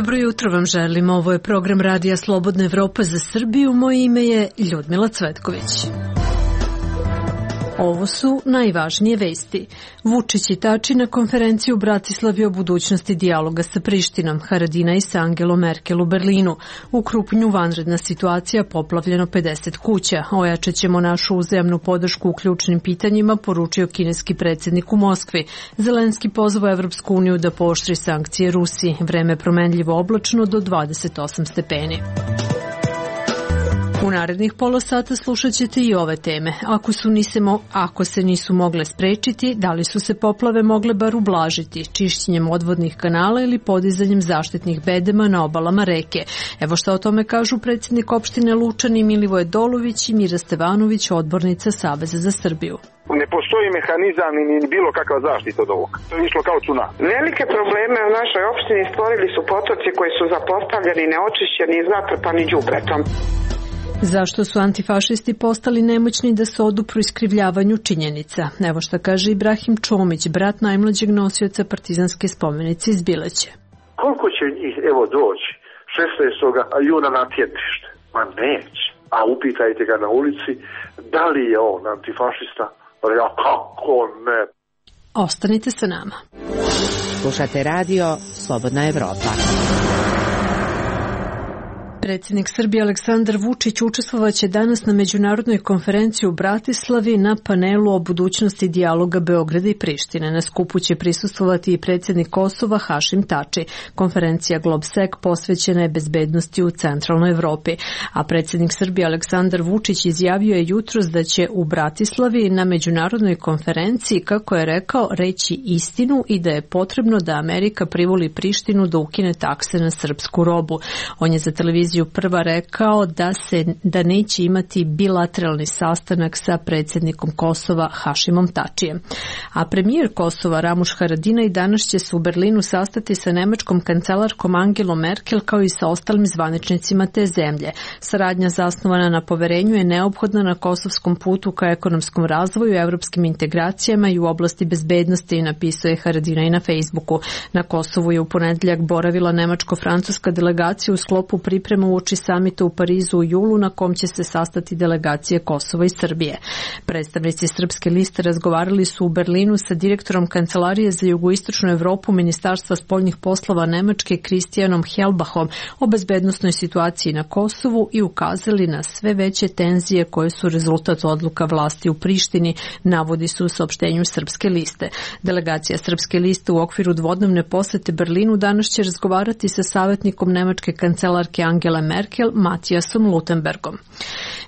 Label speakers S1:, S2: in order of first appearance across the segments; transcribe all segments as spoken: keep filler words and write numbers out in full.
S1: Dobro jutro vam želim. Ovo je program Radija Slobodna Evropa za Srbiju. Moje ime je Ljudmila Cvetković. Ovo su najvažnije vesti. Vučić i Tači na konferenciji u Bratislavi o budućnosti dijaloga sa Prištinom, Haradinaj sa Angelom Merkel u Berlinu. U Krupnju vanredna situacija, poplavljeno pedeset kuća. Ojačat ćemo našu uzajamnu podršku u ključnim pitanjima, poručio kineski predsjednik u Moskvi. Zelenski pozvao Evropsku uniju da pooštri sankcije Rusiji. Vreme promenljivo oblačno do dvadeset osam stepeni. U narednih pola sata slušat ćete i ove teme. Ako, su nisemo, ako se nisu mogle sprečiti, da li su se poplave mogle bar ublažiti, čišćenjem odvodnih kanala ili podizanjem zaštitnih bedema na obalama reke. Evo šta o tome kažu predsjednik opštine Lučani Milivoje Dolović i Mira Stevanović, odbornica Saveza za Srbiju.
S2: Ne postoji mehanizam ni bilo kakva zaštita od ovoga. To je išlo kao cunami.
S3: Velike probleme u našoj opštini stvorili su potoci koji su zapostavljeni, neočišćeni i zatrpani đubretom.
S1: Zašto su antifašisti postali nemoćni da se odupru iskrivljavanju činjenica? Evo šta kaže Ibrahim Čomić, brat najmlađeg nosioca partizanske spomenice iz Bileće.
S4: Koliko će njih evo doći šesnaestog juna na tjetište? Ma neće. A upitajte ga na ulici da li je on antifašista? Ja kako ne?
S1: Ostanite sa nama.
S5: Slušate radio Slobodna Evropa.
S1: Predsjednik Srbije Aleksandar Vučić učestvovaće danas na međunarodnoj konferenciji u Bratislavi na panelu o budućnosti dijaloga Beograda i Prištine. Na skupu će prisustvovati i predsjednik Kosova Hašim Tači. Konferencija GlobSec posvećena je bezbednosti u centralnoj Evropi. A predsjednik Srbije Aleksandar Vučić izjavio je jutros da će u Bratislavi na međunarodnoj konferenciji, kako je rekao, reći istinu i da je potrebno da Amerika privoli Prištinu da ukine takse na srpsku robu. On je za televiziju Prva rekao da se da neće imati bilateralni sastanak sa predsjednikom Kosova Hašimom Tačijem. A premijer Kosova Ramuš Haradinaj danas će se u Berlinu sastati sa nemačkom kancelarkom Angelom Merkel kao i sa ostalim zvaničnicima te zemlje. Saradnja zasnovana na poverenju je neophodna na kosovskom putu ka ekonomskom razvoju, evropskim integracijama i u oblasti bezbednosti, napisao je Haradinaj na Facebooku. Na Kosovu je u ponedjeljak boravila nemačko-francuska delegacija u sklopu priprema uoči samita u Parizu u julu na kom će se sastati delegacije Kosova i Srbije. Predstavnici Srpske liste razgovarali su u Berlinu sa direktorom Kancelarije za jugoistočnu Evropu Ministarstva spoljnih poslova Nemačke Kristijanom Helbachom o bezbednosnoj situaciji na Kosovu i ukazali na sve veće tenzije koje su rezultat odluka vlasti u Prištini, navodi se u saopštenju Srpske liste. Delegacija Srpske liste u okviru dvodnevne posete Berlinu danas će razgovarati sa savjetnikom nemačke kancelarke Angela Merkel, Matijasom Lutenbergom.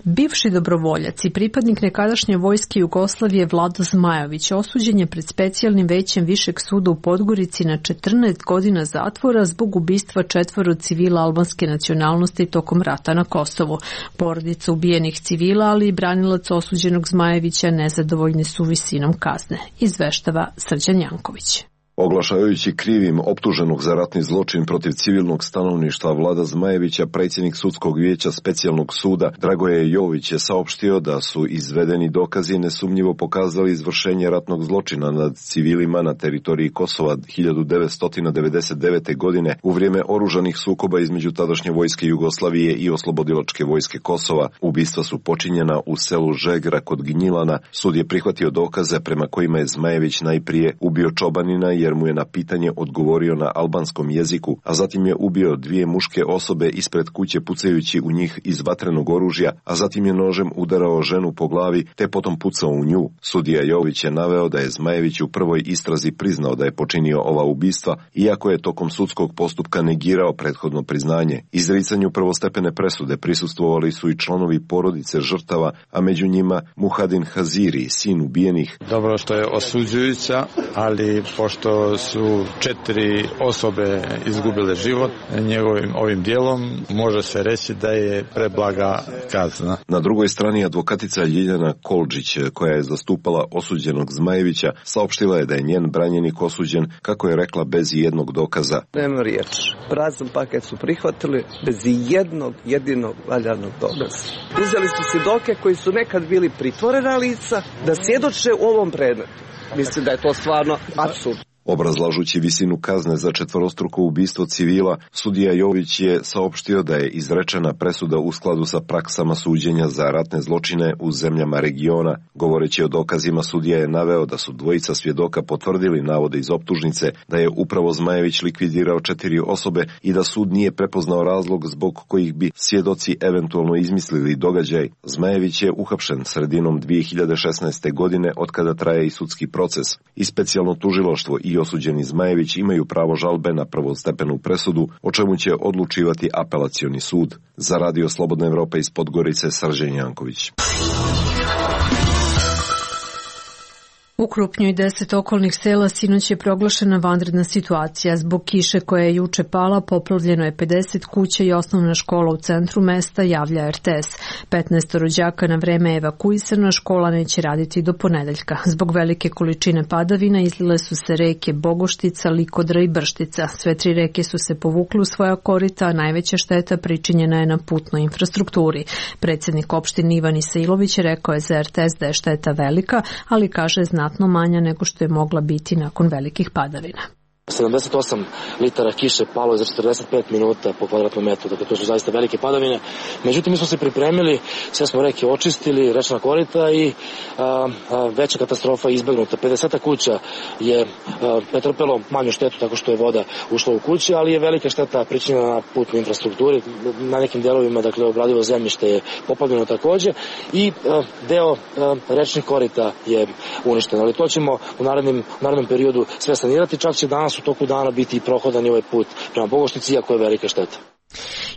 S1: Bivši dobrovoljac i pripadnik nekadašnje vojske Jugoslavije Vlado Zmajović osuđen je pred specijalnim većem Višeg suda u Podgorici na četrnaest godina zatvora zbog ubistva četvoro civila albanske nacionalnosti tokom rata na Kosovu. Porodica ubijenih civila, ali i branilac osuđenog Zmajevića nezadovoljni su visinom kazne, izveštava Srđan Janković.
S6: Oglašavajući krivim optuženog za ratni zločin protiv civilnog stanovništva Vlada Zmajevića, predsjednik sudskog vijeća specijalnog suda Dragoje Jović je saopštio da su izvedeni dokazi nesumnjivo pokazali izvršenje ratnog zločina nad civilima na teritoriji Kosova hiljadu devetsto devedeset devete. godine u vrijeme oružanih sukoba između tadašnje vojske Jugoslavije i oslobodilačke vojske Kosova. Ubistva su počinjena u selu Žegra kod Gnjilana. Sud je prihvatio dokaze prema kojima je Zmajević najprije ubio čobanina i jer mu je na pitanje odgovorio na albanskom jeziku, a zatim je ubio dvije muške osobe ispred kuće pucajući u njih iz vatrenog oružja, a zatim je nožem udarao ženu po glavi te potom pucao u nju. Sudija Jović je naveo da je Zmajević u prvoj istrazi priznao da je počinio ova ubistva, iako je tokom sudskog postupka negirao prethodno priznanje. Izricanju prvostepene presude prisustvovali su i članovi porodice žrtava, a među njima Muhadin Haziri, sin ubijenih.
S7: Dobro što je osuđujuća, ali pošto su četiri osobe izgubile život njegovim ovim dijelom, može se reći da je preblaga kazna.
S6: Na drugoj strani advokatica Ljiljana Kolđić, koja je zastupala osuđenog Zmajevića, saopštila je da je njen branjenik osuđen, kako je rekla, bez jednog dokaza.
S8: Nema riječ. Prazan paket su prihvatili bez jednog jedinog valjanog dokaza. Uzeli su svjedoke koji su nekad bili pritvorena lica da svjedoče u ovom predmetu. Mislim da je to stvarno apsurd.
S6: Obrazlažući visinu kazne za četvorostruko ubistvo civila, sudija Jović je saopštio da je izrečena presuda u skladu sa praksama suđenja za ratne zločine u zemljama regiona. Govoreći o dokazima, sudija je naveo da su dvojica svjedoka potvrdili navode iz optužnice da je upravo Zmajević likvidirao četiri osobe i da sud nije prepoznao razlog zbog kojih bi svjedoci eventualno izmislili događaj. Zmajević je uhapšen sredinom dvije hiljade šesnaeste. godine od kada traje i sudski proces. I specijalno tužilaštvo i osuđeni Zmajević imaju pravo žalbe na prvostepenu presudu, o čemu će odlučivati apelacioni sud. Za Radio Slobodna Evropa iz Podgorice, Srđan Janković.
S1: U Krupnju i deset okolnih sela sinoć je proglašena vanredna situacija. Zbog kiše koja je juče pala, poplavljeno je pedeset kuća i osnovna škola u centru mesta, javlja R T S. petnaest rođaka na vreme je evakuisano, škola neće raditi do ponedeljka. Zbog velike količine padavina izlile su se reke Bogoštica, Likodra i Brštica. Sve tri reke su se povukle u svoja korita, a najveća šteta pričinjena je na putnoj infrastrukturi. Predsjednik opštine Ivan Isailović rekao je za R T S da je šteta velika, ali kaže znatno manja nego što je mogla biti nakon velikih padavina.
S9: sedamdeset osam litara kiše palo je za četrdeset pet minuta po kvadratnom metru, dakle to su zaista velike padavine. Međutim, mi smo se pripremili, sve smo reke očistili, rečna korita i a, a, veća katastrofa je izbegnuta. pedeset kuća je a, pretrpelo manju štetu tako što je voda ušla u kući, ali je velika šteta pričinjena na putnoj infrastrukturi. Na nekim delovima, dakle, obradivo zemljište je poplavljeno takođe i a, deo a, rečnih korita je uništen. Ali to ćemo u narednim, u narednom periodu sve sanirati, čak će danas u toku dana biti prohodan i ovaj put prema Bogošnici, iako je velika šteta.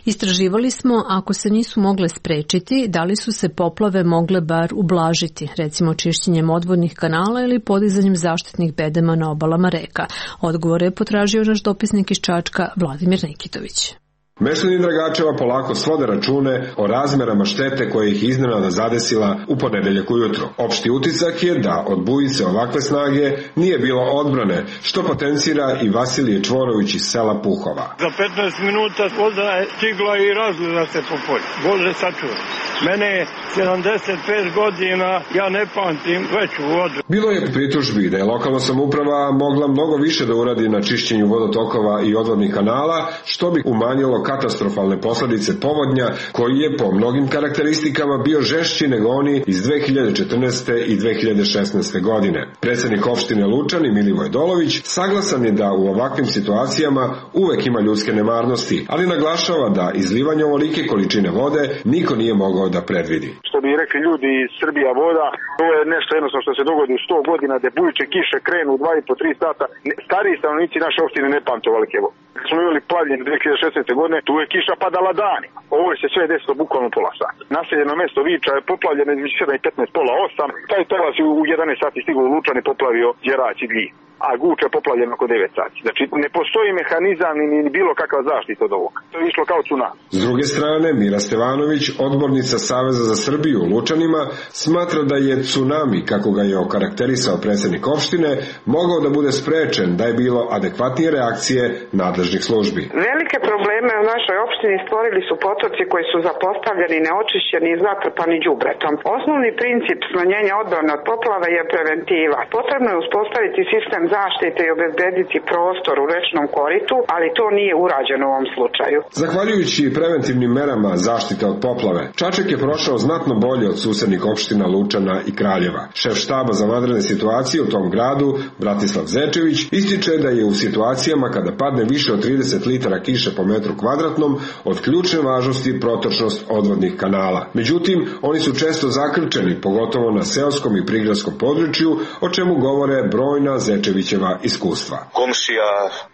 S1: Istraživali smo, ako se nisu mogle sprečiti, da li su se poplave mogle bar ublažiti, recimo čišćenjem odvodnih kanala ili podizanjem zaštitnih bedema na obalama reka. Odgovore je potražio naš dopisnik iz Čačka, Vladimir Nikitović.
S10: Meštani Dragačeva polako svode račune o razmerama štete koje ih iznenada zadesila u ponedeljak ujutro. Opšti utisak je da od bujice ovakve snage nije bilo odbrane, što potencira i Vasilije Čvorović iz sela Puhova.
S11: Za petnaest minuta voda je stigla i razlila se po polju. Bože sačuvaj. Mene je sedamdeset pet godina, ja ne pamtim veću vodu.
S10: Bilo je pritužbi da je lokalna samouprava mogla mnogo više da uradi na čišćenju vodotokova i odvodnih kanala, što bi umanjilo katastrofalne posledice povodnja, koji je po mnogim karakteristikama bio žešći nego oni iz dve hiljade četrnaeste. i dve hiljade šesnaeste. godine. Predsjednik opštine Lučani, Milivoj Dolović, saglasan je da u ovakvim situacijama uvek ima ljudske nemarnosti, ali naglašava da izlivanje ovolike količine vode niko nije mogao da predvidi.
S2: Što bi rekli ljudi iz Srbija voda, to je nešto jednostavno što se dogodi u sto godina, da bujiče kiše krenu u dva i po tri sata. Stariji stanovnici naše opštine ne pamte ovolike vode. Smo imali plavljenje dve hiljade šesnaeste. godine, tu je kiša padala danima. Ovo je se sve desilo bukvalno pola sata. Naseljeno mesto Viča je poplavljeno između sedam i petnaest, pola osam. Taj tovac u jedanaest sati stigao u Lučan i poplavio Đerać i Glji. A Guča je poplavljeno oko devet sati. Znači, ne postoji mehanizam ni bilo kakva zaštita od ovoga. To je išlo kao tsunami.
S10: S druge strane, Mira Stevanović, odbornica Saveza za Srbiju u Lučanima, smatra da je tsunami, kako ga je okarakterisao predsjednik opštine, mogao da bude sprečen da je bilo adekvatnije reakcije nadležnih službi.
S3: Velike probleme u našoj opštini stvorili su potoci koji su zapostavljeni, neočišćeni i zatrpani đubretom. Osnovni princip smanjenja odbrane od poplava je preventiva. Potrebno je uspostaviti sistem zaštite i obezbediti prostor u rečnom koritu, ali to nije urađeno u ovom slučaju.
S10: Zahvaljujući preventivnim merama zaštite od poplave, Čačak je prošao znatno bolje od susednih opština Lučana i Kraljeva. Šef štaba za vanredne situacije u tom gradu, Bratislav Zečević, ističe da je u situacijama kada padne više od trideset litara kiše po metru kvadratnom od ključne važnosti protočnost odvodnih kanala. Međutim, oni su često zakrčeni, pogotovo na seoskom i prigradskom području, o čemu govore brojna Zečevićeva iskustva.
S12: Komšija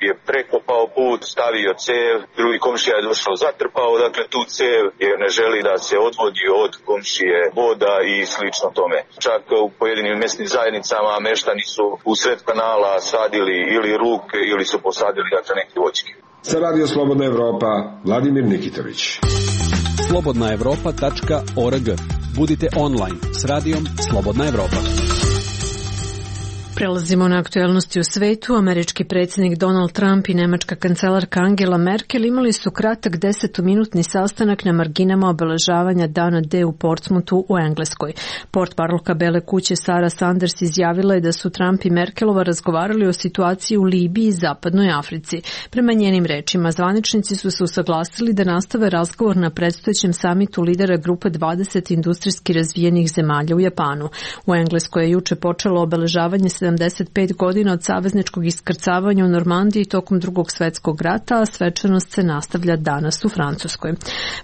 S12: je prekopao put, stavio cev, drugi komšija je došao, zatrpao dakle tu cev jer ne želi da se odvodi od komšije voda i slično tome. Čak u pojedinim mjesnim zajednicama meštani su u sred kanala sadili ili ruke ili su posadili dakle neke voćke.
S10: Za Radio Slobodna Evropa, Vladimir Nikitović.
S13: slobodna evropa tačka org. Budite online s radijom Slobodna Evropa.
S1: Prelazimo na aktuelnosti u svetu. Američki predsjednik Donald Trump i nemačka kancelarka Angela Merkel imali su kratak desetominutni sastanak na marginama obeležavanja Dana D u Portsmouthu u Engleskoj. Portparolka Bele kuće Sara Sanders izjavila je da su Trump i Merkelova razgovarali o situaciji u Libiji i Zapadnoj Africi. Prema njenim rečima, zvaničnici su se usaglasili da nastave razgovor na predstojećem samitu lidera grupe dvadeset industrijski razvijenih zemalja u Japanu. U Engleskoj je juče počelo obeležavanje sedamdeset pet godina od savezničkog iskrcavanja u Normandiji tokom Drugog svetskog rata, a svečanost se nastavlja danas u Francuskoj.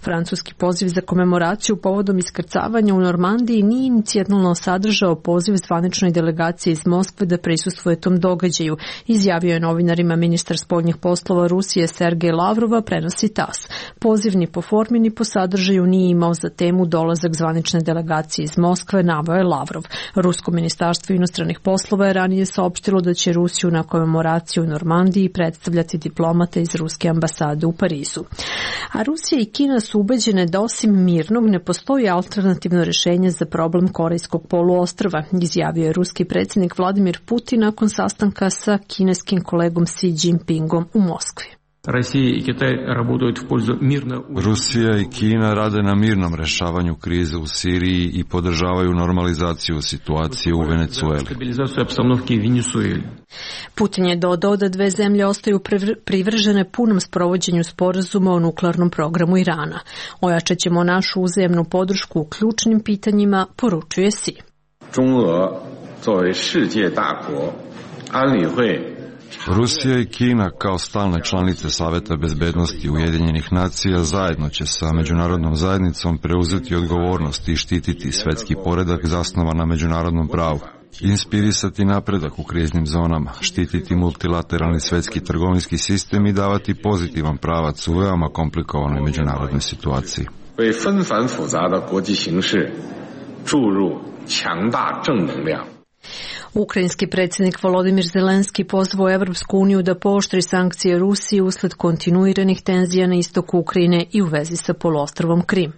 S1: Francuski poziv za komemoraciju povodom iskrcavanja u Normandiji nije inicijalno sadržao poziv zvaničnoj delegaciji iz Moskve da prisustvuje tom događaju, izjavio je novinarima ministar spoljnih poslova Rusije Sergej Lavrova, prenosi tas. Poziv ni po formi ni po sadržaju nije imao za temu dolazak zvanične delegacije iz Moskve, naveo je Lavrov. Rusko ministarstvo inostranih poslova je ranije saopštilo da će Rusiju na komemoraciju u Normandiji predstavljati diplomate iz ruske ambasade u Parizu. A Rusija i Kina su ubeđene da osim mirnog ne postoji alternativno rješenje za problem Korejskog poluostrva, izjavio je ruski predsjednik Vladimir Putin nakon sastanka sa kineskim kolegom Xi Jinpingom u Moskvi.
S14: Rusija i Kina rade na mirnom rešavanju krize u Siriji i podržavaju normalizaciju situacije u Venecueli.
S1: Putin je dodao da dve zemlje ostaju privržene punom sprovođenju sporazuma o nuklearnom programu Irana. Ojačat ćemo našu uzajemnu podršku u ključnim pitanjima, poručuje Xi.
S14: Rusija i Kina kao stalne članice Saveta bezbednosti Ujedinjenih nacija zajedno će sa međunarodnom zajednicom preuzeti odgovornost i štititi svetski poredak zasnovan na međunarodnom pravu, inspirisati napredak u kriznim zonama, štititi multilateralni svetski trgovinski sistem i davati pozitivan pravac u veoma komplikovanoj međunarodnoj situaciji.
S1: Ukrajinski predsjednik Volodimir Zelenski pozvao Evropsku uniju da pooštri sankcije Rusiji usled kontinuiranih tenzija na istoku Ukrajine i u vezi sa poluostrvom Krim.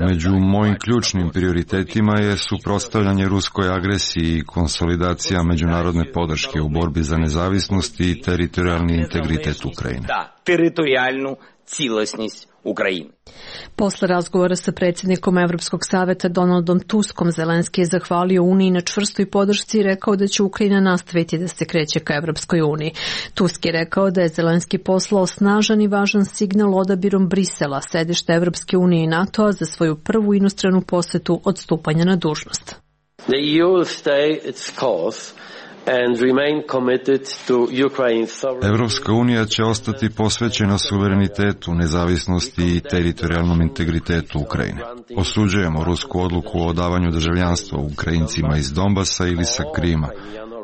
S14: Među mojim ključnim prioritetima je suprotstavljanje ruskoj agresiji i konsolidacija međunarodne podrške u borbi za nezavisnost i teritorijalni integritet Ukrajine.
S1: Ukrajine. Posle razgovora sa predsjednikom Evropskog saveta Donaldom Tuskom, Zelenski je zahvalio Uniji na čvrstoj podršci i rekao da će Ukrajina nastaviti da se kreće ka Evropskoj uniji. Tusk je rekao da je Zelenski poslao snažan i važan signal odabirom Brisela, sedišta Evropske unije i NATO-a, za svoju prvu inostranu posetu od stupanja na dužnost.
S15: The E U will stay its course and remain committed to Ukraine's sovereignty.
S14: Evropska unija će ostati posvećena suverenitetu, nezavisnosti i teritorijalnom integritetu Ukrajine. Osuđujemo rusku odluku o davanju državljanstva Ukrajincima iz Donbasa ili sa Krima.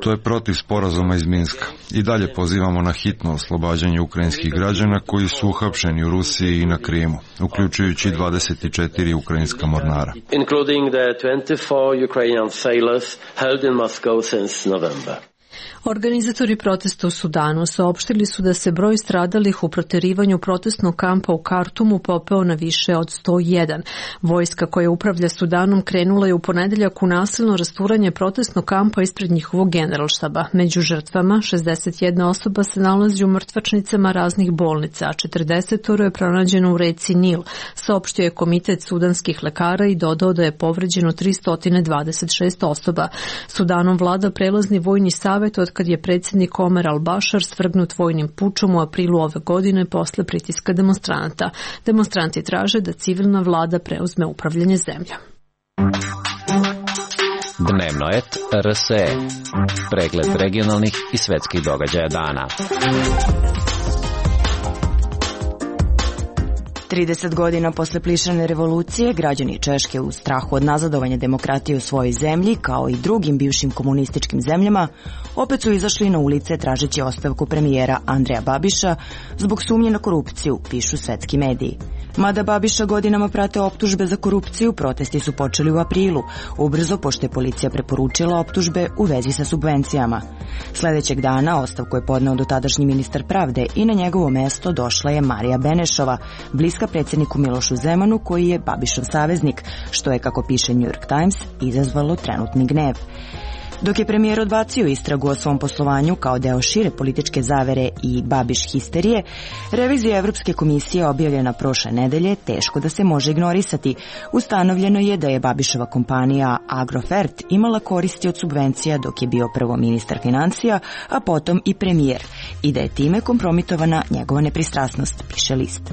S14: To je protiv sporazuma iz Minska. I dalje pozivamo na hitno oslobađanje ukrajinskih građana koji su uhapšeni u Rusiji i na Krimu, uključujući dvadeset četiri ukrajinska mornara.
S15: Including the twenty-four Ukrainian sailors held in Moscow since November.
S1: Organizatori protesta u Sudanu saopštili su da se broj stradalih u proterivanju protestnog kampa u Kartumu popeo na više od sto jedan. Vojska koja upravlja Sudanom krenula je u ponedeljak u nasilno rasturanje protestnog kampa ispred njihovog generalštaba. Među žrtvama šezdeset jedna osoba se nalazi u mrtvačnicama raznih bolnica, a četrdeset je pronađeno u reci Nil, saopštio je Komitet sudanskih lekara i dodao da je povređeno tristo dvadeset šest osoba. Sudanom vlada prelazni vojni savet od kad je predsjednik Omer al-Bashar svrgnut vojnim pučom u aprilu ove godine posle pritiska demonstranata. Demonstranti traže da civilna vlada preuzme upravljanje zemljom.
S16: Dnevno et R S E. Pregled regionalnih i svetskih događaja dana.
S17: trideset godina posle plišane revolucije, građani Češke u strahu od nazadovanja demokratije u svojoj zemlji, kao i drugim bivšim komunističkim zemljama, opet su izašli na ulice tražeći ostavku premijera Andreja Babiša zbog sumnje na korupciju, pišu svetski mediji. Mada Babiša godinama prate optužbe za korupciju, protesti su počeli u aprilu, ubrzo pošto je policija preporučila optužbe u vezi sa subvencijama. Sledećeg dana ostavku je podneo dotadašnji ministar pravde i na njegovo mesto došla je Marija Benešova, bliska predsjedniku Milošu Zemanu koji je Babišov saveznik, što je, kako piše New York Times, izazvalo trenutni gnev. Dok je premijer odbacio istragu o svom poslovanju kao deo šire političke zavere i Babiš histerije, revizija Evropske komisije objavljena prošle nedelje teško da se može ignorisati. Ustanovljeno je da je Babišova kompanija Agrofert imala koristi od subvencija dok je bio prvo ministar financija, a potom i premijer, i da je time kompromitovana njegova nepristrasnost, piše list.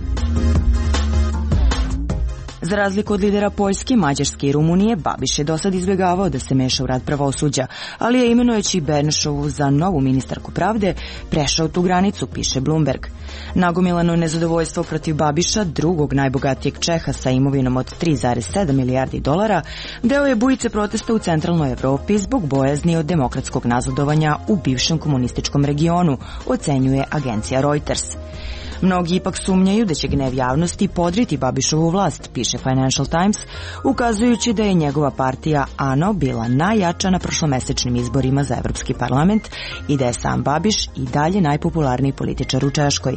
S17: Za razliku od lidera Poljske, Mađarske i Rumunije, Babiš je dosad izbjegavao da se meša u rad pravosuđa, ali je imenujući Benešovu za novu ministarku pravde prešao tu granicu, piše Bloomberg. Nagomilano nezadovoljstvo protiv Babiša, drugog najbogatijeg Čeha sa imovinom od tri zarez sedam milijardi dolara, deo je bujice protesta u centralnoj Evropi zbog bojazni od demokratskog nazadovanja u bivšem komunističkom regionu, ocenjuje agencija Reuters. Mnogi ipak sumnjaju da će gnev javnosti podriti Babišovu vlast, piše Financial Times, ukazujući da je njegova partija ANO bila najjača na prošlomesečnim izborima za Evropski parlament i da je sam Babiš i dalje najpopularniji političar u Češkoj.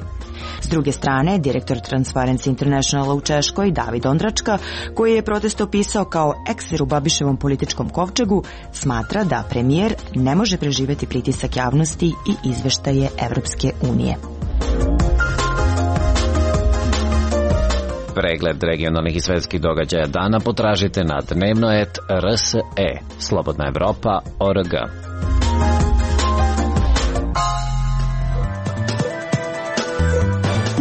S17: S druge strane, direktor Transparency Internationala u Češkoj, David Ondračka, koji je protest opisao kao ekser u Babiševom političkom kovčegu, smatra da premijer ne može preživjeti pritisak javnosti i izveštaje Evropske unije.
S16: Pregled regionalnih i svetskih događaja dana potražite na dnevnoet R S E, Slobodna Evropa, O R G.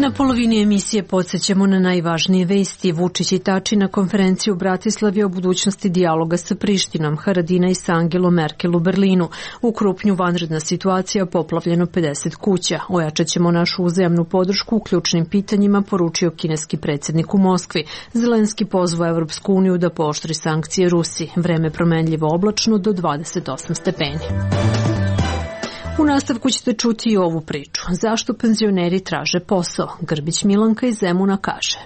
S1: Na polovini emisije podsjećamo na najvažnije vesti. Vučić i Tači na konferenciju u Bratislavi o budućnosti dijaloga sa Prištinom, Haradinaj sa Angelom Merkel u Berlinu. U Krupnju vanredna situacija, poplavljeno pedeset kuća. Ojačat ćemo našu uzajamnu podršku u ključnim pitanjima, poručio kineski predsjednik u Moskvi. Zelenski pozvao Evropsku uniju da pooštri sankcije Rusiji. Vreme promenljivo oblačno do dvadeset osam stepeni. U nastavku ćete čuti i ovu priču. Zašto penzioneri traže posao? Grbić Milanka iz Zemuna kaže.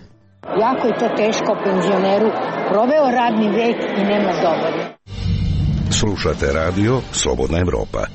S18: Jako je to teško penzioneru. Proveo radni vek i nema dovoljno.
S19: Slušate radio Slobodna Evropa.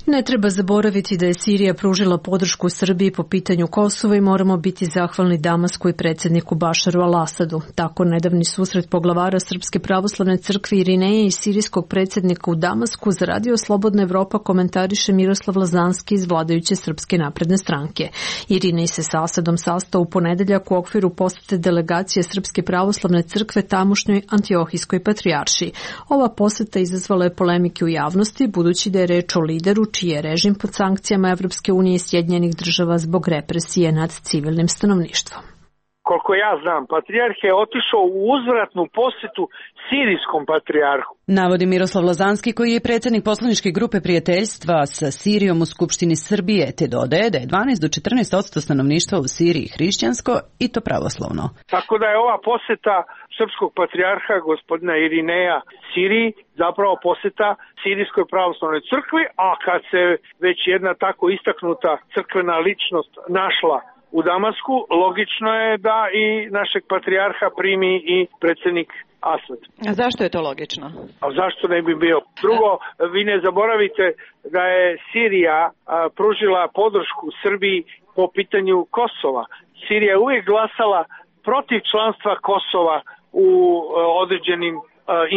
S1: Ne treba zaboraviti da je Sirija pružila podršku Srbiji po pitanju Kosova i moramo biti zahvalni Damasku i predsjedniku Bašaru al-Asadu. Tako nedavni susret poglavara Srpske pravoslavne crkve Irineje i sirijskog predsjednika u Damasku za radio Slobodna Evropa komentariše Miroslav Lazanski iz vladajuće Srpske napredne stranke. Irinej se sa Asadom sastao u ponedeljak u okviru posete delegacije Srpske pravoslavne crkve tamošnjoj Antiohijskoj patrijaršiji. Ova poseta izazvala je polemike u javnosti, budući da je reč o lideru čiji je režim pod sankcijama Evropske unije i Sjedinjenih država zbog represije nad civilnim stanovništvom.
S20: Koliko ja znam, patrijarh je otišao u uzvratnu posjetu sirijskom patrijarhu.
S21: Navodi Miroslav Lazanski, koji je predsjednik poslaničke grupe prijateljstva sa Sirijom u Skupštini Srbije, te dodaje da je dvanaest do četrnaest posto stanovništva u Siriji hrišćansko i to pravoslavno.
S20: Tako da je ova posjeta srpskog patrijarha gospodina Irineja Siriji zapravo posjeta Sirijskoj pravoslavnoj crkvi, a kad se već jedna tako istaknuta crkvena ličnost našla u Damasku, logično je da i našeg patrijarha primi i predsjednik Asad.
S21: A zašto je to logično?
S20: A zašto ne bi bio? Drugo, vi ne zaboravite da je Sirija a, pružila podršku Srbiji po pitanju Kosova. Sirija je uvijek glasala protiv članstva Kosova u a, određenim a,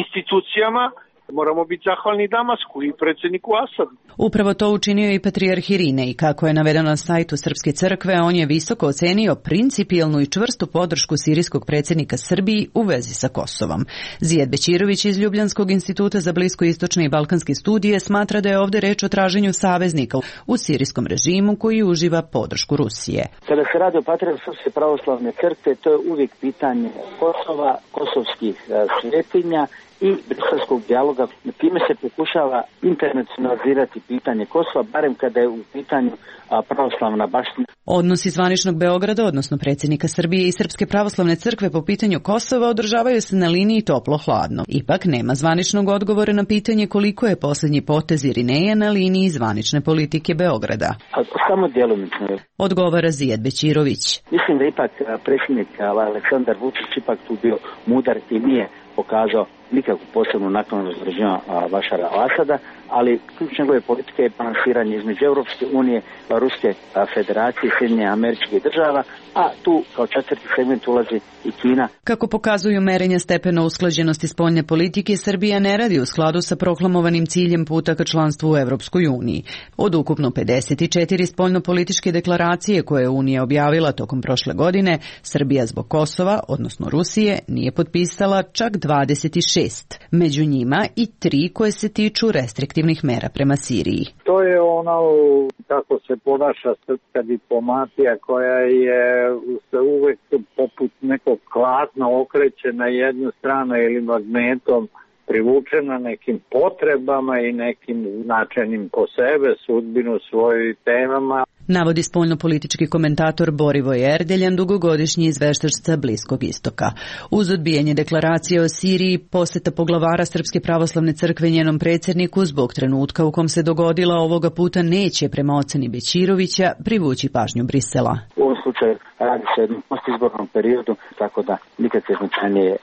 S20: institucijama. Moramo biti zahvalni Damasku i predsjedniku Asadu.
S21: Upravo to učinio i patrijarh Irinej. Kako je navedeno na sajtu Srpske crkve, on je visoko ocenio principijelnu i čvrstu podršku sirijskog predsjednika Srbiji u vezi sa Kosovom. Zijad Bećirović iz Ljubljanskog instituta za bliskoistočne i balkanske studije smatra da je ovdje reč o traženju saveznika u sirijskom režimu koji uživa podršku Rusije.
S22: Kada se radi o patrijarhu Srpske pravoslavne crkve, to je uvijek pitanje Kosova, kosovskih svetinja i briselskog dijaloga. Time se pokušava internacionalizirati pitanje Kosova, barem kada je u pitanju a, pravoslavna baština.
S21: Odnosi zvaničnog Beograda, odnosno predsjednika Srbije i Srpske pravoslavne crkve po pitanju Kosova održavaju se na liniji toplo-hladno. Ipak nema zvaničnog odgovora na pitanje koliko je posljednji potez Irineja na liniji zvanične politike Beograda.
S22: A, samo djelomično.
S21: Odgovara Zijad Bećirović.
S22: Mislim da ipak predsjednik Aleksandar Vučić ipak tu bio mudar i nije pokazao nikakvu posebnu naknadu zarađenja Bašara al-Asada, ali ključ njegove politike je balansiranje između Europske unije, Ruske federacije, Sjedinjenih Američkih Država, a tu kao četvrti segment ulazi i Kina.
S21: Kako pokazuju merenja stepena usklađenosti spoljne politike, Srbija ne radi u skladu sa proklamovanim ciljem puta ka članstvu u Evropskoj uniji. Od ukupno pedeset četiri spoljnopolitičke deklaracije koje je Unija objavila tokom prošle godine, Srbija zbog Kosova, odnosno Rusije, nije potpisala čak dvadeset šest. Među njima i tri koje se tiču restriktivnih mera prema Siriji.
S4: To je ono kako se ponaša srpska diplomatija koja je se uvek poput nekog klatna okreće na jednu stranu ili magnetom privučena nekim potrebama i nekim značajnim po sebe, sudbinu svojim temama.
S21: Navodi spoljnopolitički komentator Borivoj Erdeljan, dugogodišnji izveštač sa Bliskog istoka. Uz odbijanje deklaracije o Siriji, poseta poglavara Srpske pravoslavne crkve njenom predsjedniku zbog trenutka u kom se dogodila ovoga puta neće, prema oceni Bećirovića, privući pažnju Brisela.
S22: U ovom slučaju radi se o jednom postizbornom periodu, tako da nikakve značajnije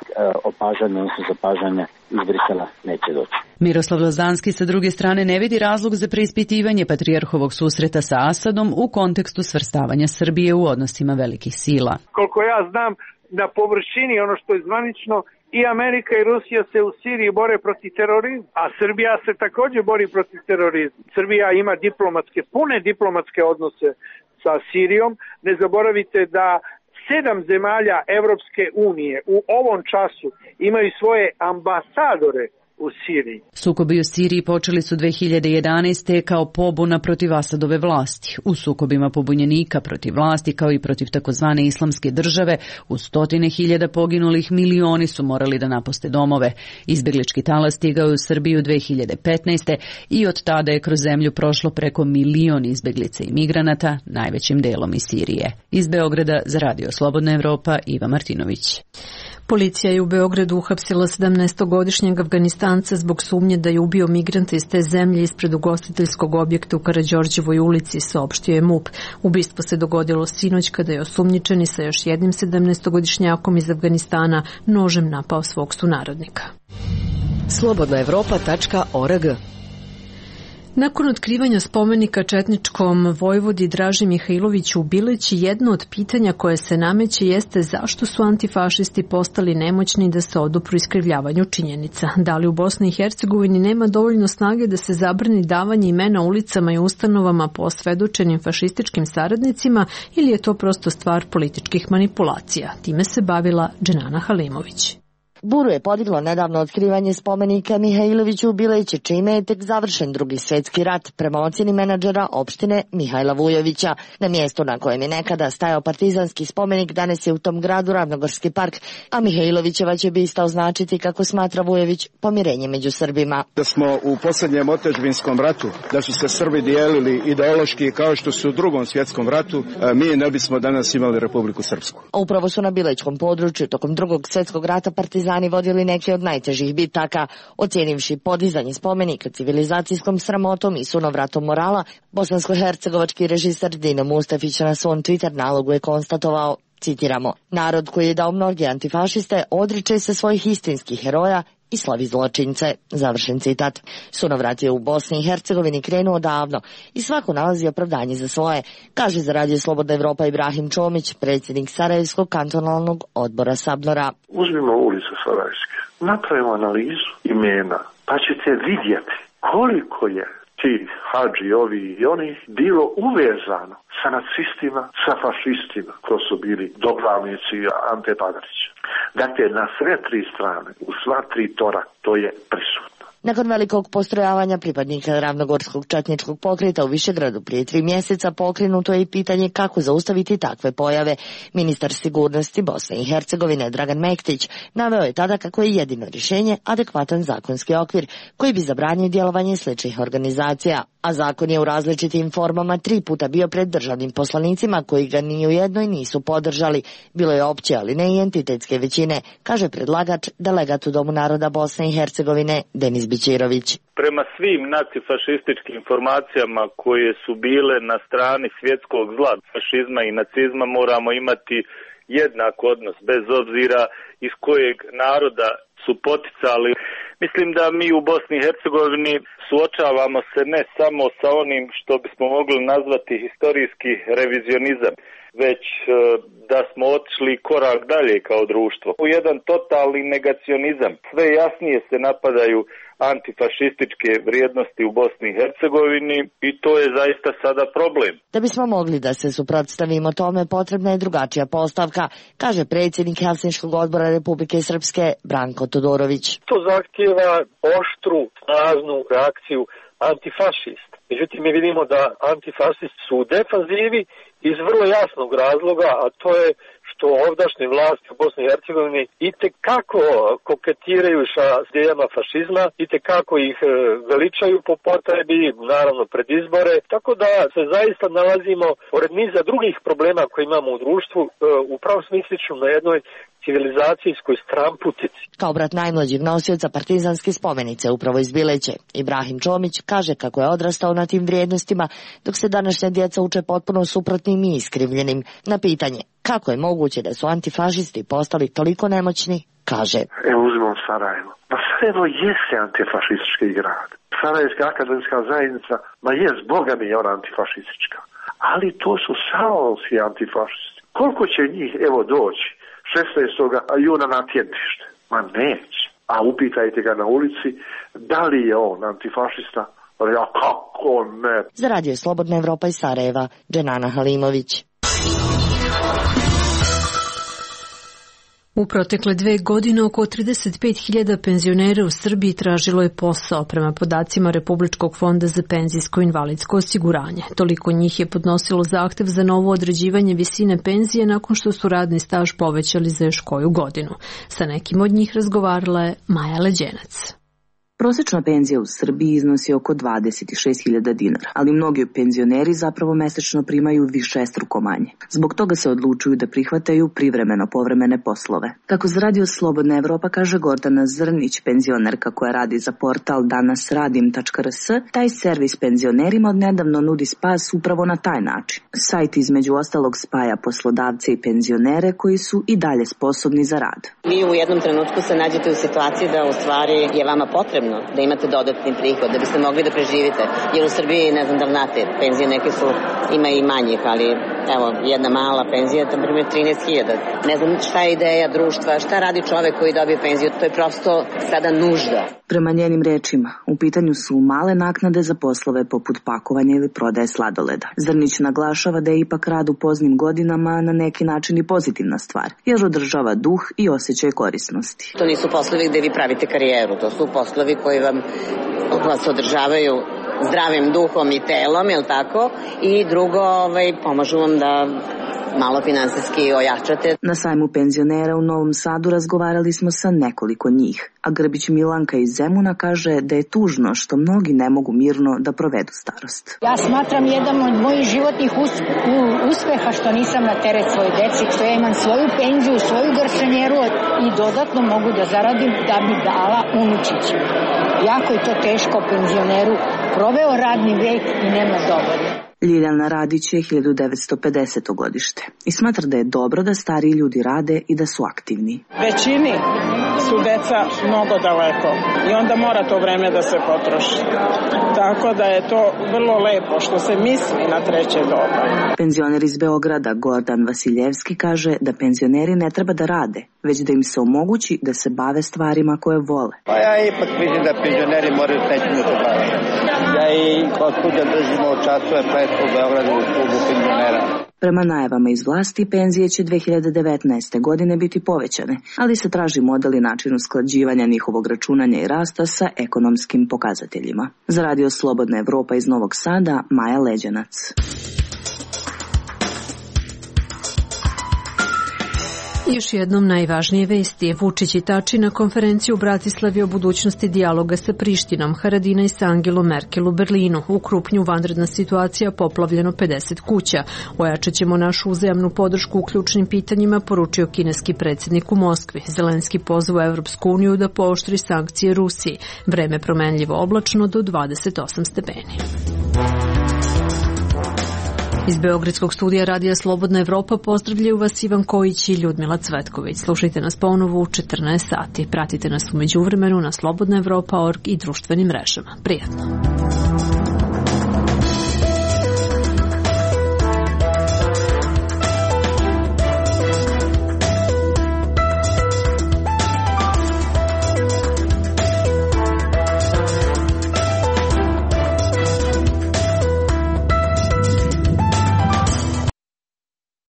S22: opažanje, odnosno zapažanja iz Brisela neće doći.
S21: Miroslav Lazanski sa druge strane ne vidi razlog za preispitivanje patrijarhovog susreta sa Asadom u kontekstu svrstavanja Srbije u odnosima velikih sila.
S20: Koliko ja znam, na površini ono što je zvanično, i Amerika i Rusija se u Siriji bore protiv terorizma, a Srbija se također bori protiv terorizma. Srbija ima diplomatske, pune diplomatske odnose sa Sirijom. Ne zaboravite da sedam zemalja Evropske unije u ovom času imaju svoje ambasadore u Siriji.
S21: Sukobi u Siriji počeli su dve hiljade jedanaeste. kao pobuna protiv Asadove vlasti. U sukobima pobunjenika protiv vlasti kao i protiv takozvane islamske države u stotine hiljada poginulih milioni su morali da napuste domove. Izbeglički talas stigao u Srbiju dve hiljade petnaeste. i od tada je kroz zemlju prošlo preko milion izbeglica i migranata, najvećim delom iz Sirije. Iz Beograda za Radio Slobodna Evropa, Iva Martinović.
S1: Policija je u Beogradu uhapsila sedamnaestogodišnjeg Afganistanca zbog sumnje da je ubio migrante iz te zemlje ispred ugostiteljskog objekta u Karađorđevoj ulici, saopštio je MUP. Ubistvo se dogodilo sinoć kada je osumnjičeni sa još jednim sedamnaestogodišnjakom iz Afganistana nožem napao svog sunarodnika.
S5: slobodna evropa tačka org.
S1: Nakon otkrivanja spomenika četničkom vojvodi Draži Mihajloviću u Bileći, jedno od pitanja koje se nameće jeste zašto su antifašisti postali nemoćni da se odupru iskrivljavanju činjenica. Da li u Bosni i Hercegovini nema dovoljno snage da se zabrani davanje imena ulicama i ustanovama po osvedočenim fašističkim saradnicima ili je to prosto stvar političkih manipulacija? Time se bavila Dženana Halimović.
S23: Buru je podiglo nedavno otkrivanje spomenika Mihajloviću u Bileći, čime je tek završen drugi svjetski rat, prema ocjeni menadžera opštine Mihajla Vujovića. Na mjestu na kojem je nekada stajao partizanski spomenik danas je u tom gradu Ravnogorski park, a Mihajlovićeva će bista označiti, kako smatra Vujović, pomirenje među Srbima.
S24: Da smo u posljednjem otadžbinskom ratu, da su se Srbi dijelili ideološki kao što su u drugom svjetskom ratu, mi ne bismo danas imali Republiku Srpsku.
S23: Upravo su na Bilećkom području tokom drugog svjetskog rata partizani vodili neke od najtežih bitaka, ocijenivši podizanje spomenika civilizacijskom sramotom i sunovratom morala. Bosansko-hercegovački režiser Dino Mustafić na svom Twitter nalogu je konstatovao, citiramo, narod koji je dao mnoge antifašiste odriče se svojih istinskih heroja i slavi zločince, završen citat. Sunovrat je u Bosni i Hercegovini krenuo davno i svako nalazi opravdanje za svoje, kaže za Radio Slobodna Evropa Ibrahim Čomić, predsjednik Sarajevskog kantonalnog odbora Sabnora.
S25: Uzmimo ulicu Sarajevske, napravimo analizu imena, pa ćete vidjeti koliko je ti hađi, ovi i oni bilo uvezano sa nacistima, sa fašistima, ko su bili doglavnici Ante Pagarića. Dakle, na sve tri strane, u sva tri tora, to je prisutno.
S23: Nakon velikog postrojavanja pripadnika Ravnogorskog četničkog pokreta u Višegradu prije tri mjeseca pokrenuto je i pitanje kako zaustaviti takve pojave. Ministar sigurnosti Bosne i Hercegovine Dragan Mektić naveo je tada kako je jedino rješenje adekvatan zakonski okvir koji bi zabranio djelovanje sličnih organizacija, a zakon je u različitim formama tri puta bio pred državnim poslanicima koji ga ni u jednoj nisu podržali. Bilo je opće, ali ne i entitetske većine, kaže predlagač, delegat u Domu naroda Bosne i Hercegovine Denis Bićirović.
S6: Prema svim nacifašističkim informacijama koje su bile na strani svjetskog zla, fašizma i nacizma, moramo imati jednak odnos bez obzira iz kojeg naroda su poticali. Mislim da mi u Bosni i Hercegovini suočavamo se ne samo sa onim što bismo mogli nazvati historijski revizionizam, već da smo otišli korak dalje kao društvo. U jedan totalni negacionizam. Sve jasnije se napadaju antifašističke vrijednosti u Bosni i Hercegovini i to je zaista sada problem.
S23: Da bismo mogli da se suprotstavimo tome, potrebna je drugačija postavka, kaže predsjednik Helsinškog odbora Republike Srpske Branko Todorović.
S7: To zahtijeva oštru, snažnu reakciju antifašist. Međutim, mi vidimo da antifašisti su u defanzivi iz vrlo jasnog razloga, a to je što ovdašnje vlasti u Bosni i Hercegovini itekako koketiraju sa idejama fašizma, itekako ih veličaju po potrebi, naravno pred izbore, tako da se zaista nalazimo pored niza drugih problema koje imamo u društvu, u pravom smislu na jednoj civilizacijskoj stramputici.
S23: Kao brat najmlađeg nosioca partizanske spomenice upravo iz Bileće, Ibrahim Čomić kaže kako je odrastao na tim vrijednostima, dok se današnja djeca uče potpuno suprotnim i iskrivljenim. Na pitanje kako je moguće da su antifašisti postali toliko nemoćni, kaže:
S25: Evo uzmemo Sarajevo. Ma Sarajevo jeste antifašistički grad. Sarajevska akademska zajednica, ma jest, Boga mi je ona antifašistička. Ali to su salonski antifašisti. Koliko će njih evo doći šesnaestog juna na tjednište? Ma neće. A upitajte ga na ulici da li je on antifašista. Ja, kako ne?
S23: Za radio Slobodna Evropa iz Sarajeva, Dženana Halimović.
S1: U protekle dve godine oko trideset pet hiljada penzionera u Srbiji tražilo je posao prema podacima Republičkog fonda za penzijsko invalidsko osiguranje. Toliko njih je podnosilo zahtev za novo određivanje visine penzije nakon što su radni staž povećali za još koju godinu. Sa nekim od njih razgovarala je Maja Leđenac.
S8: Prosječna penzija u Srbiji iznosi oko dvadeset šest hiljada dinara, ali mnogi penzioneri zapravo mesečno primaju višestruko manje. Zbog toga se odlučuju da prihvataju privremeno povremene poslove. Kako za radio Slobodna Evropa kaže Gordana Zrnić, penzionerka koja radi za portal danas radim tačka r s, taj servis penzionerima odnedavno nudi spas upravo na taj način. Sajt između ostalog spaja poslodavce i penzionere koji su i dalje sposobni za rad.
S9: Vi u jednom trenutku se nađete u situaciji da u stvari je vama potrebno da imate dodatni prihod, da biste mogli da preživite. Jer u Srbiji, ne znam da znate, penzije neke su, ima i manjih, ali evo, jedna mala penzija, na primjer trinaest hiljada. Ne znam šta je ideja društva, šta radi čovek koji dobije penziju, to je prosto sada nužda.
S8: Prema njenim rečima, u pitanju su male naknade za poslove poput pakovanja ili prodaje sladoleda. Zrnić naglašava da je ipak rad u poznim godinama na neki način i pozitivna stvar, jer održava duh i osjećaj korisnosti.
S9: To nisu poslovi gde vi pravite karijeru, to su poslovi koji vam vas održavaju zdravim duhom i telom, je li tako? I drugo, ovaj, pomažu vam da malo finansijski ojačate.
S8: Na sajmu penzionera u Novom Sadu razgovarali smo sa nekoliko njih, a Grbić Milanka iz Zemuna kaže da je tužno što mnogi ne mogu mirno da provedu starost.
S18: Ja smatram jedan od mojih životnih uspeha što nisam na teret svoje deci, što ja imam svoju penziju, svoju garšanjeru i dodatno mogu da zaradim da bi dala unučiću. Jako je to teško penzioneru, proveo radni vek i nema dovoljno.
S8: Ljiljana Radić je hiljadu devetsto pedeseto godište i smatra da je dobro da stariji ljudi rade i da su aktivni.
S11: Većini su deca mnogo daleko i onda mora to vreme da se potroši. Tako da je to vrlo lepo što se misli na treće doba.
S8: Penzioner iz Beograda Gordan Vasiljevski kaže da penzioneri ne treba da rade, već da im se omogući da se bave stvarima koje vole.
S2: Pa ja ipak mislim da penzioneri moraju s nečim da se bave. Ja i kod kuća držimo časove pleska u Beogradu u klubu penzionera.
S8: Prema najavama iz vlasti, penzije će dve hiljade devetnaeste. godine biti povećane, ali se traži model i način usklađivanja njihovog računanja i rasta sa ekonomskim pokazateljima. Za Radio Slobodna Evropa iz Novog Sada, Maja Leđanac.
S1: Još jednom najvažnije vesti. Vučić i Tači na konferenciji u Bratislavi o budućnosti dijaloga sa Prištinom, Haradinaj sa Angelom Merkel u Berlinu. U Krupnju vanredna situacija, poplavljeno pedeset kuća. Ojačat ćemo našu uzajamnu podršku u ključnim pitanjima, poručio kineski predsjednik u Moskvi. Zelenski pozvao Evropsku uniju da pooštri sankcije Rusiji. Vreme promenljivo oblačno do dvadeset osam stepeni. Iz Beogradskog studija Radija Slobodna Evropa pozdravljaju vas Ivan Kojić i Ljudmila Cvetković. Slušajte nas ponovo u četrnaest sati. Pratite nas u međuvremenu na slobodna evropa tačka org i društvenim mrežama. Prijatno.